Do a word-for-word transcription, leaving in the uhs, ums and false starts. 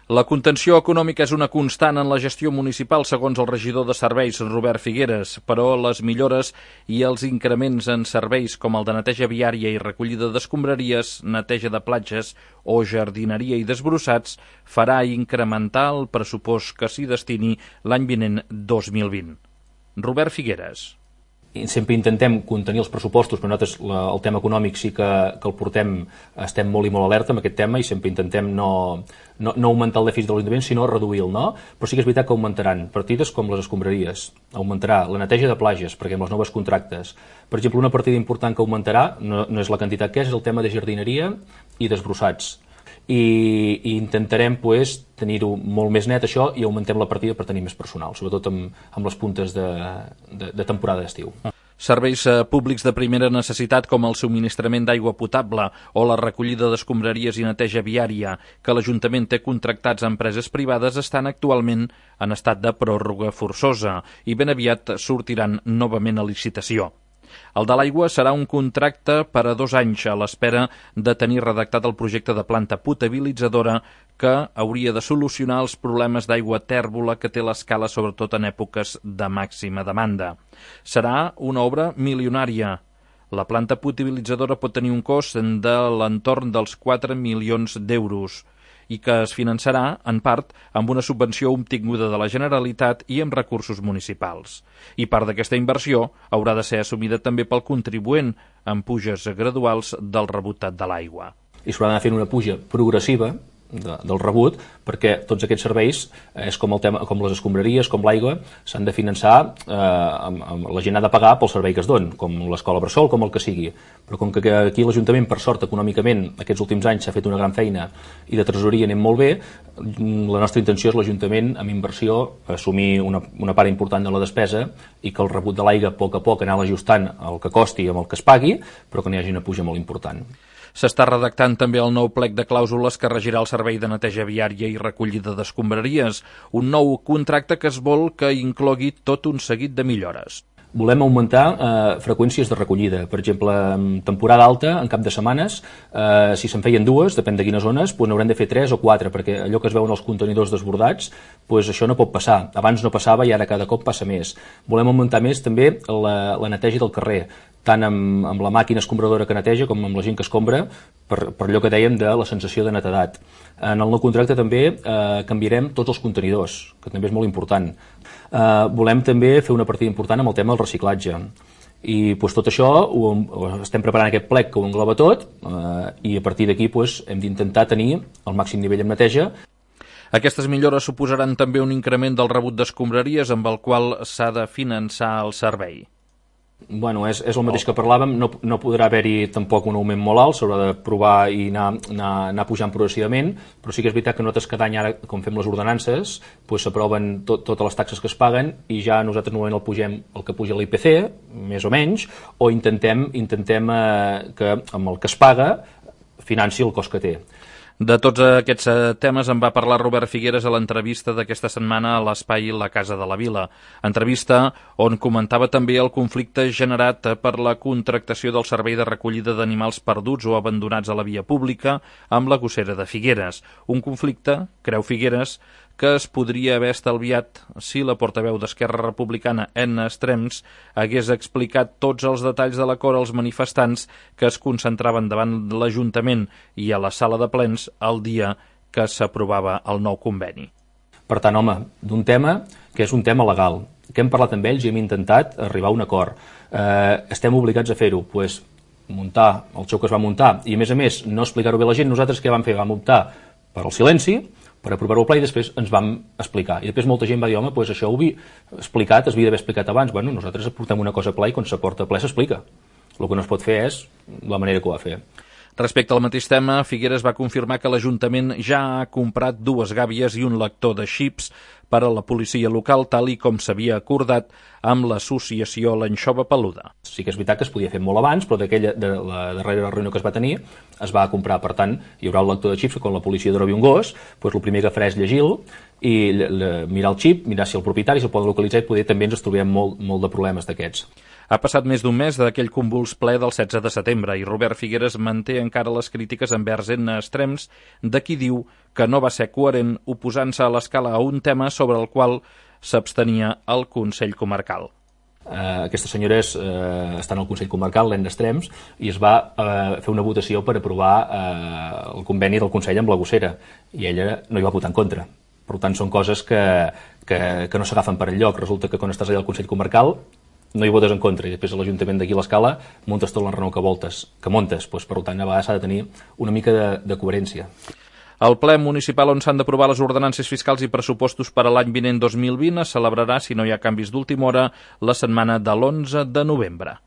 La contenció econòmica és una constant en la gestió municipal, segons el regidor de serveis, Robert Figueres, però les millores i els increments en serveis com el de neteja viària i recollida d'escombraries, neteja de platges o jardineria i desbrossats farà incrementar el pressupost que s'hi destini l'any vinent dos mil vint. Robert Figueres. Sempre intentem contenir els pressupostos, però nosaltres la, el tema econòmic sí que, que el portem, estem molt i molt alerta amb aquest tema i sempre intentem no, no, no augmentar el dèficit de l'Ajuntament, sinó reduir-lo, no? Però sí que és veritat que augmentaran partides com les escombraries, augmentarà la neteja de platges, perquè amb els nous contractes, per exemple, una partida important que augmentarà, no, no és la quantitat que és, és el tema de jardineria i desbrossats. I, i intentarem pues, tenir-ho molt més net això i augmentem la partida per tenir més personal, sobretot amb, amb les puntes de, de, de temporada d'estiu. Serveis públics de primera necessitat com el subministrament d'aigua potable o la recollida d'escombraries i neteja viària que l'Ajuntament té contractats a empreses privades estan actualment en estat de pròrroga forçosa i ben aviat sortiran novament a licitació. El de l'aigua serà un contracte per a dos anys a l'espera de tenir redactat el projecte de planta potabilitzadora que hauria de solucionar els problemes d'aigua tèrbola que té l'escala sobretot en èpoques de màxima demanda. Serà una obra milionària. La planta potabilitzadora pot tenir un cost de l'entorn dels quatre milions d'euros i que es finançarà, en part, amb una subvenció obtinguda de la Generalitat i amb recursos municipals. I part d'aquesta inversió haurà de ser assumida també pel contribuent, amb puges graduals del rebut de l'aigua. I s'haurà d'anar fent una puja progressiva de, del rebut, perquè tots aquests serveis, és com, el tema, com les escombraries, com l'aigua, s'han de finançar, eh, amb, amb, la gent ha de pagar pel servei que es don, com l'escola bressol, com el que sigui. Però com que aquí l'Ajuntament, per sort, econòmicament, aquests últims anys s'ha fet una gran feina i de tresoreria anem molt bé, la nostra intenció és l'Ajuntament, amb inversió, assumir una, una part important de la despesa i que el rebut de l'aigua, a poc a poc, anar ajustant el que costi amb el que es pagui, però que n'hi hagi una puja molt important. S'està redactant també el nou plec de clàusules que regirà el servei de neteja viària i recollida d'escombraries, un nou contracte que es vol que inclogui tot un seguit de millores. Volem augmentar eh, freqüències de recollida. Per exemple, en temporada alta, en cap de setmanes, eh, si se'n feien dues, depèn de quines zones, pues n'haurem de fer tres o quatre, perquè allò que es veuen els contenidors desbordats, pues això no pot passar. Abans no passava i ara cada cop passa més. Volem augmentar més també la, la neteja del carrer, tant amb, amb la màquina escombradora que neteja com amb la gent que escombra, per, per allò que dèiem de la sensació de netedat. En el nou contracte també eh, canviarem tots els contenidors, que també és molt important. Eh, volem també fer una partida important amb el tema del reciclatge. I pues, tot això ho, ho estem preparant aquest plec que ho engloba tot eh, i a partir d'aquí pues, hem d'intentar tenir el màxim nivell en neteja. Aquestes millores suposaran també un increment del rebut d'escombraries amb el qual s'ha de finançar el servei. Bueno, és, és el mateix que parlàvem, no, no podrà haver-hi tampoc un augment molt alt, s'haurà de provar i anar, anar, anar pujant progressivament, però sí que és veritat que nosaltres cada any, ara, com fem les ordenances, pues, s'aproven tot, totes les taxes que es paguen i ja nosaltres normalment el pugem el que puja l'I P C, més o menys, o intentem, intentem eh, que amb el que es paga financi el cost que té. De tots aquests temes en va parlar Robert Figueres a l'entrevista d'aquesta setmana a l'espai La Casa de la Vila. Entrevista on comentava també el conflicte generat per la contractació del servei de recollida d'animals perduts o abandonats a la via pública amb la gossera de Figueres. Un conflicte, creu Figueres, que es podria haver estalviat si la portaveu d'Esquerra Republicana, Enna Estrems, hagués explicat tots els detalls de l'acord als manifestants que es concentraven davant l'Ajuntament i a la sala de plens el dia que s'aprovava el nou conveni. Per tant, home, d'un tema que és un tema legal, que hem parlat amb ells i hem intentat arribar a un acord. Eh, estem obligats a fer-ho, pues, muntar el xou que es va muntar i, a més a més, no explicar-ho bé a la gent. Nosaltres què vam fer? Vam optar per al silenci, per aprovar-ho al ple i després ens vam explicar. I després molta gent va dir, home, doncs això ho havia explicat, es havia d'haver explicat abans. Bueno, nosaltres portem una cosa a ple i quan s'aporta a ple s'explica. El que no es pot fer és la manera que ho va fer. Respecte al mateix tema, Figueres va confirmar que l'Ajuntament ja ha comprat dues gàbies i un lector de xips per a la policia local, tal i com s'havia acordat amb l'associació L'Anxova Peluda. Sí que és veritat que es podia fer molt abans, però d'aquella de la darrera reunió que es va tenir es va comprar. Per tant, hi haurà el lector de xips que quan la policia trobi un gos, doncs el primer que farà és llegir-lo i mirar el xip, mirar si el propietari se'l poden localitzar i poder també ens trobem molt, molt de problemes d'aquests. Ha passat més d'un mes d'aquell convuls ple del setze de setembre i Robert Figueres manté encara les crítiques envers Edna Estrems, de qui diu que no va ser coherent oposant-se a l'escala a un tema sobre el qual s'abstenia el Consell Comarcal. Uh, aquesta senyora és, uh, està en el Consell Comarcal, l'Edna Estrems, i es va uh, fer una votació per aprovar uh, el conveni del Consell amb la Gossera, i ella no hi va votar en contra. Per tant, són coses que, que, que no s'agafen per enlloc. Resulta que quan estàs allà al Consell Comarcal no hi votes en contra, i després a l'Ajuntament d'aquí a l'Escala muntes tot l'enrenou que voltes, que montes. Pues, per tant, a vegades s'ha de tenir una mica de, de coherència. El ple municipal on s'han d'aprovar les ordenances fiscals i pressupostos per a l'any vinent dos mil vint es celebrarà, si no hi ha canvis d'última hora, la setmana de l'onze de novembre.